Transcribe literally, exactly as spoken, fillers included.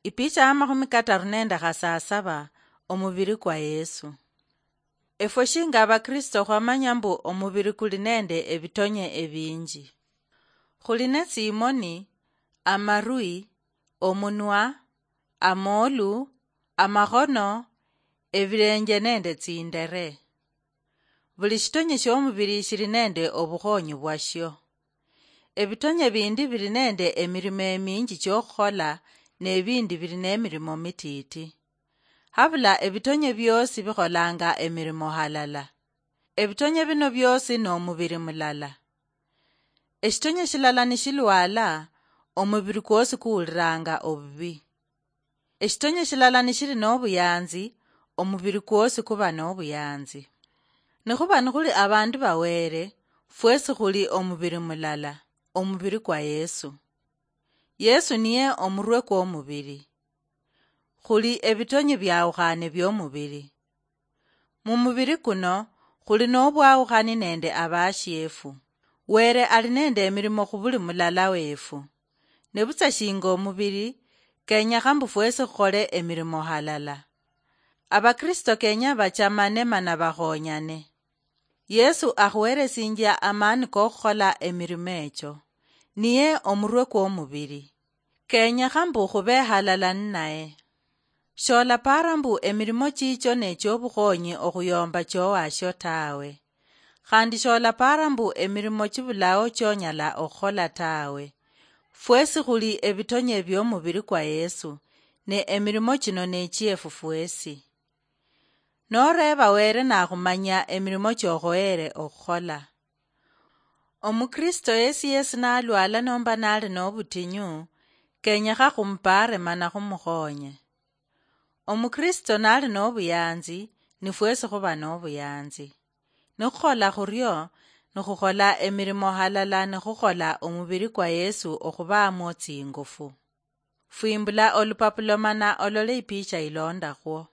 Ipicha ya makhumi kataru nende khasasaba, omubiri kwa Yesu. Efwe shinga Abakristo khwamanya mbu omubiri kuli nende ebitonye ebinji. Khuli ne tsimoni, amarwi, omunwa, amolu, amakhono, ebilenje nende tsindere. Buli shitonye shiomubiri shili nende obukhonyi bwashio. Ebitonye bindi bili nende emirimo eminji chiokhukhola, nebindi bili nemirimo mititi. Habula ebitonye biosi bikholanga emirimo halala. Ebitonye bino biosi nomubiri mulala. Eshitonye shilala nishilwala, omubiri kwosi kuwuliranga obubi. Eshitonye shilala nishili nobuyanzi, omubiri kwosi kuba nobuyanzi. Nikhuba nikhuli abandu ba Wele, fwesi khuli omubiri mulala, omubiri kwa Yesu. Yesu niye omurwe kwomubiri. Khuli ebitonye biawukhane biomubiri. Mumubiri kuno, khuli nobwawukhani nende abashiefu. Wele ali nende emirimo khubuli mulala wefu. Nebutsa shinga omubiri, kenyekha mbu fwesi khukhole emirimo halala. Abakristo kenya bachamane mana bakhonyane. Yesu akhuheresinjia amani kokhukhola emirimo echo. Niye omurwe kwomubiri. Kenyekha mbu khube halala ninaye. Sholapara mbu emirimo chicho nechiobukhonyi okhuyomba chowashio tawe. Khandi sholapara mbu emirimo chibulao chonyala okhukhola tawe. Fwesi khuli ebitonye biomubiri kwa Yesu, ne emirimo chino nechiefu fwesi. Noreeba Wele nakhumanya emirimo chokhoyere okhukhola. Omukristo yesi yesi nalwala nomba nali nobutinyu, kenyekha khumupaare mana khumukhonye. Omukristo nali nobuyanzi, nifwesi khuba nobuyanzi. Nikhukhola khurio, nikhukhola emirimo halala nikhukhola omubiri kwa Yesu okhubamwo tsingufu. Fwimbula olupapulo mana olole ipicha ilondakhwo.